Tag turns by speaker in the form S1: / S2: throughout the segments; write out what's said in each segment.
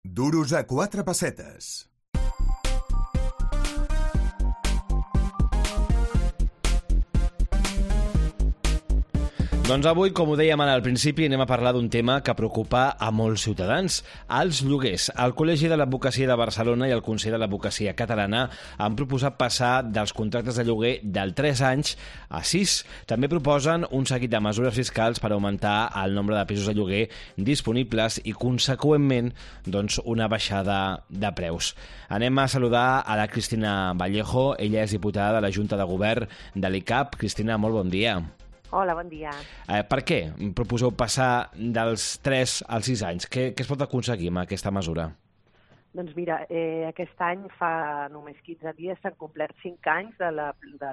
S1: Duros a 4 pessetes.
S2: Doncs avui, com ho dèiem al principi, anem a parlar d'un tema que preocupa a molts ciutadans, els lloguers. El Col·legi de l'Advocacia de Barcelona i el Consell de l'Advocacia Catalana han proposat passar dels contractes de lloguer del 3 anys a 6. També proposen un seguit de mesures fiscals per augmentar el nombre de pisos de lloguer disponibles i, conseqüentment, doncs, una baixada de preus. Anem a saludar a la Cristina Vallejo. Ella és diputada de la Junta de Govern de l'ICAP. Cristina, molt bon dia.
S3: Hola, bon dia.
S2: Per què proposeu passar dels 3 als 6 anys? Què es pot aconseguir amb aquesta mesura?
S3: Doncs mira, aquest any fa només 15 dies s'han complert 5 anys de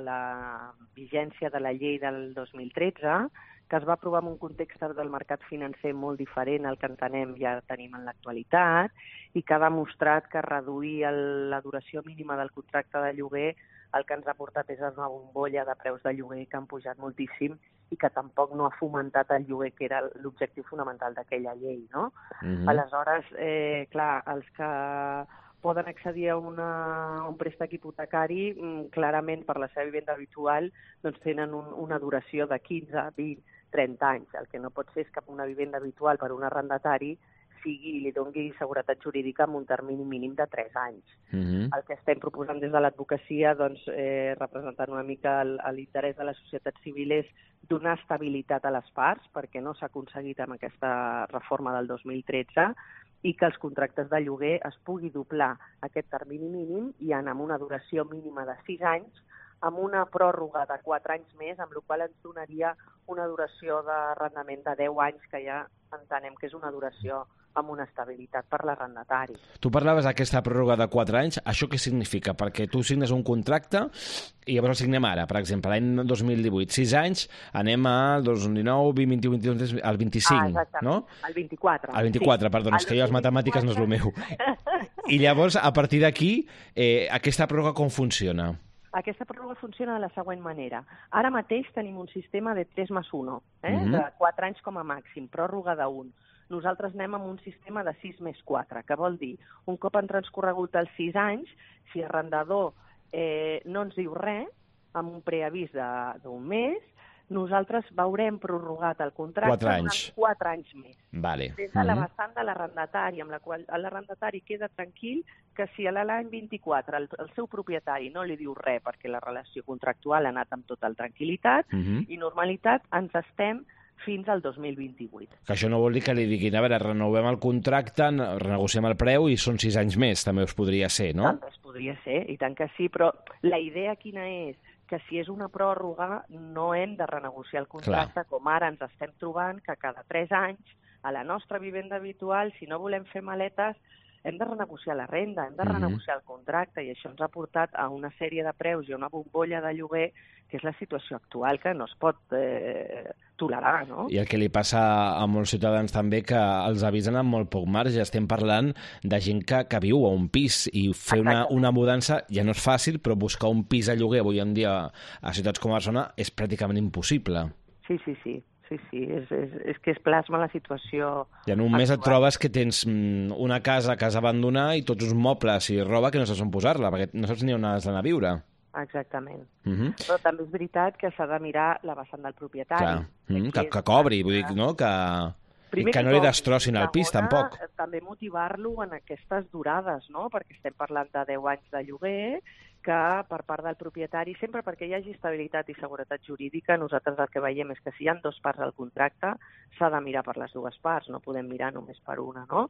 S3: la vigència de la llei del 2013, que es va aprovar en un context del mercat financer molt diferent al que entenem ja tenim en l'actualitat i que ha demostrat que reduir la duració mínima del contracte de lloguer el que ens ha portat és una bombolla de preus de lloguer que han pujat moltíssim i que tampoc no ha fomentat el lloguer, que era l'objectiu fonamental d'aquella llei, no? Aleshores, clar, els que poden accedir a un préstec hipotecari, clarament per la seva vivenda habitual, doncs tenen una duració de 15, 20, 30 anys. El que no pot ser és que una vivenda habitual per un arrendatari li doni seguretat jurídica amb un termini mínim de 3 anys. El que estem proposant des de l'advocacia, doncs, representant una mica l'interès de la societat civil, és donar estabilitat a les parts, perquè no s'ha aconseguit amb aquesta reforma del 2013, i que els contractes de lloguer es pugui doblar aquest termini mínim i anar amb una duració mínima de 6 anys, amb una pròrroga de 4 anys més, amb la qual ens donaria una duració d'arrendament de 10 anys, que ja entenem que és una duració amb una estabilitat per l'arrendatari.
S2: Tu parlaves d'aquesta pròrroga de 4 anys. Això què significa? Perquè tu signes un contracte i llavors el signem ara, per exemple, l'any 2018. 6 anys, anem al 2019, 20, 21, 22, al 25, no?
S3: Al 24.
S2: Al 24, sí. Perdona, és que jo les matemàtiques no és el meu. I llavors, a partir d'aquí, aquesta pròrroga com funciona?
S3: Aquesta pròrroga funciona de la següent manera. Ara mateix tenim un sistema de 3+1, de 4 anys com a màxim, pròrroga d'1. Nosaltres anem amb un sistema de 6+4, que vol dir, un cop han transcorregut els 6 anys, si l'arrendador no ens diu res, amb un preavís d'un mes, nosaltres veurem prorrogat el contracte durant 4 anys més.
S2: Vale.
S3: Des de la vessant de l'arrendatari, amb la qual l'arrendatari queda tranquil que si a l'any 24 el seu propietari no li diu res perquè la relació contractual ha anat amb total tranquil·litat i normalitat, ens estem fins al 2028.
S2: Que això no vol dir que li diguin, a veure, renovem el contracte, renegociem el preu i són 6 anys més, també us podria ser, no?
S3: També es podria ser, i tant que sí, però la idea quina és? Que si és una pròrroga no hem de renegociar el contracte, com ara ens estem trobant que cada 3 anys a la nostra vivenda habitual, si no volem fer maletes, hem de renegociar la renda, hem de renegociar el contracte, i això ens ha portat a una sèrie de preus i a una bombolla de lloguer, que és la situació actual, que no es pot tolerar, no?
S2: I el que li passa a molts ciutadans també, que els avisen amb molt poc marge. Estem parlant de gent que viu a un pis, i fer una mudança ja no és fàcil, però buscar un pis a lloguer avui en dia a ciutats com Barcelona és pràcticament impossible.
S3: Sí, és que es plasma la situació.
S2: I en un mes et trobes que tens una casa que has d'abandonar i tots uns mobles i roba que no saps on posar-la, perquè no saps ni on has d'anar a viure.
S3: Exactament. Però també és veritat que s'ha de mirar la vessant del propietari.
S2: Que cobri, vull dir, no? Que no li destrossin el pis, tampoc.
S3: També motivar-lo en aquestes durades, no? Perquè estem parlant de 10 anys de lloguer, que per part del propietari, sempre perquè hi hagi estabilitat i seguretat jurídica, nosaltres el que veiem és que si hi ha 2 parts al contracte, s'ha de mirar per les 2 parts, no podem mirar només per una, no?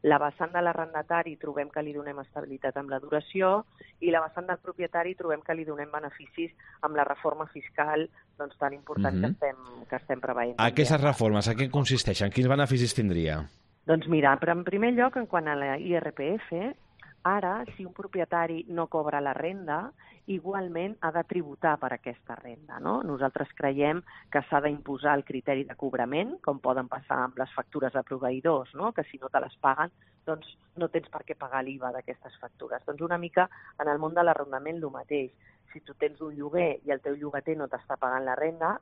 S3: La vessant de l'arrendatari trobem que li donem estabilitat amb la duració, i la vessant del propietari trobem que li donem beneficis amb la reforma fiscal doncs, tan important que estem preveient.
S2: Aquestes reformes, en què consisteixen? Quins beneficis tindria?
S3: Doncs mira, però en primer lloc, en quant a la IRPF, ara, si un propietari no cobra la renda, igualment ha de tributar per aquesta renda, no? Nosaltres creiem que s'ha d'imposar el criteri de cobrament, com poden passar amb les factures de proveïdors, no? Que si no te les paguen, doncs no tens per què pagar l'IVA d'aquestes factures. Doncs una mica en el món de l'arrendament el mateix. Si tu tens un lloguer i el teu llogater no t'està pagant la renda,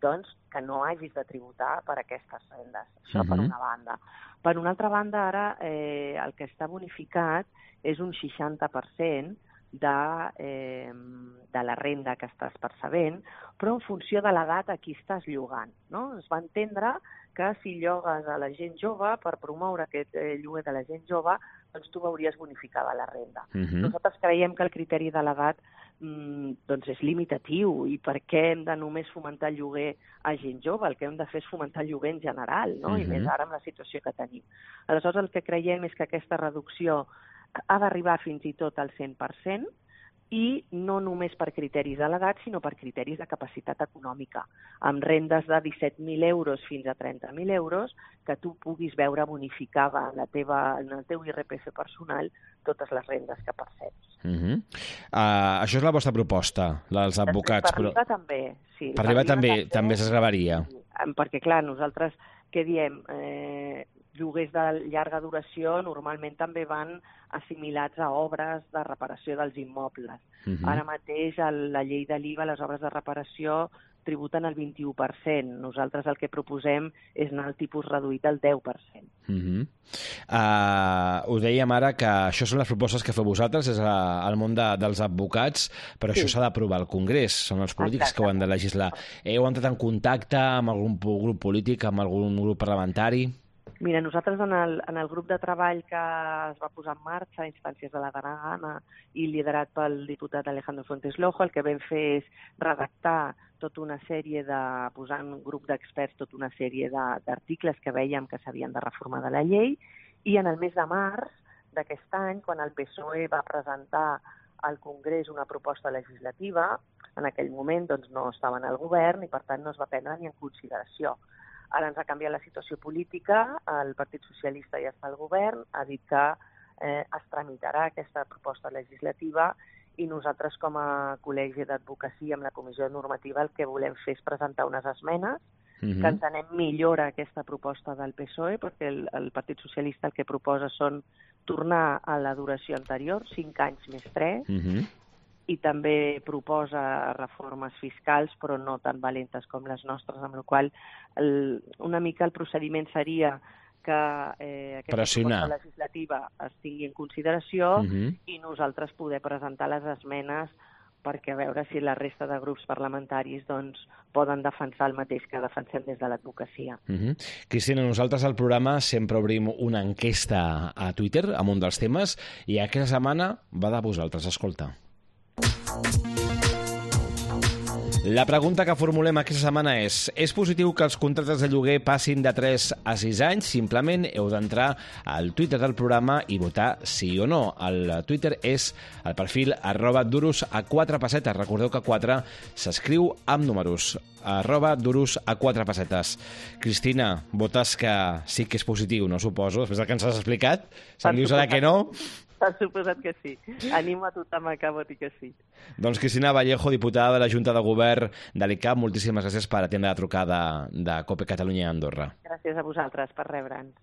S3: doncs que no hagis de tributar per aquestes rendes. Això per una banda. Per una altra banda, ara el que està bonificat és un 60% de la renda que estàs percebent, però en funció de l'edat a qui estàs llogant, no? Es va entendre que si llogues a la gent jove, per promoure aquest lloguer de la gent jove, doncs tu veuries bonificada la renda. Nosaltres creiem que el criteri de l'edat doncs és limitatiu i per què hem de només fomentar el lloguer a gent jove? El que hem de fer és fomentar el lloguer en general, no? I més ara amb la situació que tenim. Aleshores, el que creiem és que aquesta reducció ha d'arribar fins i tot al 100% i no només per criteris de l'edat, sinó per criteris de capacitat econòmica, amb rendes de 17.000 euros fins a 30.000 euros, que tu puguis veure bonificada en el teu IRPF personal totes les rendes que perceps.
S2: Això és la vostra proposta, la dels advocats.
S3: Per arribar també, sí.
S2: Per arribar també s'esgravaria.
S3: Perquè, clar, nosaltres què diem? Lloguers de llarga duració normalment també van assimilats a obres de reparació dels immobles. Ara mateix la llei de l'IVA, les obres de reparació tributen el 21%. Nosaltres el que proposem és anar al tipus reduït al 10%.
S2: Ho dèiem ara que això són les propostes que feu vosaltres, és el món dels advocats, però això s'ha d'aprovar al Congrés, són els polítics que ho han de legislar. Heu entrat en contacte amb algun grup polític, amb algun grup parlamentari?
S3: Mira, nosaltres en el grup de treball que es va posar en marxa a instàncies de la Gana i liderat pel diputat Alejandro Fuentes Lojo, el que vam fer és redactar tota una sèrie posar en un grup d'experts tota una sèrie d'articles que vèiem que s'havien de reformar de la llei, i en el mes de març d'aquest any, quan el PSOE va presentar al Congrés una proposta legislativa, en aquell moment doncs, no estaven al govern i per tant no es va prendre ni en consideració. Ara ens ha canviat la situació política, el Partit Socialista ja està al govern, ha dit que es tramitarà aquesta proposta legislativa i nosaltres com a col·legi d'advocacia amb la comissió normativa el que volem fer és presentar unes esmenes que entenem millora aquesta proposta del PSOE, perquè el Partit Socialista el que proposa són tornar a la duració anterior, 5 anys més 3, i també proposa reformes fiscals, però no tan valentes com les nostres, amb la qual una mica el procediment seria que aquesta proposta legislativa es tingui en consideració i nosaltres poder presentar les esmenes perquè a veure si la resta de grups parlamentaris doncs, poden defensar el mateix que defensem des de l'advocacia.
S2: Cristina, nosaltres al programa sempre obrim una enquesta a Twitter amb un dels temes i aquesta setmana va de vosaltres, escolta. La pregunta que formulem aquesta setmana és positiu que els contractes de lloguer passin de 3 a 6 anys? Simplement heu d'entrar al Twitter del programa i votar sí o no. El Twitter és el perfil @duros4pessetes. Recordeu que 4 s'escriu amb números. @duros4pessetes. Cristina, votes que sí que és positiu, no suposo, després del que ens has explicat? Se'm dius ara que no?
S3: Per suposat que sí. Animo a tothom a que voti que sí.
S2: Doncs Cristina Vallejo, diputada de la Junta de Govern de l'ICAP, moltíssimes gràcies per atendre la trucada de COPE Catalunya a Andorra.
S3: Gràcies a vosaltres per rebre'ns.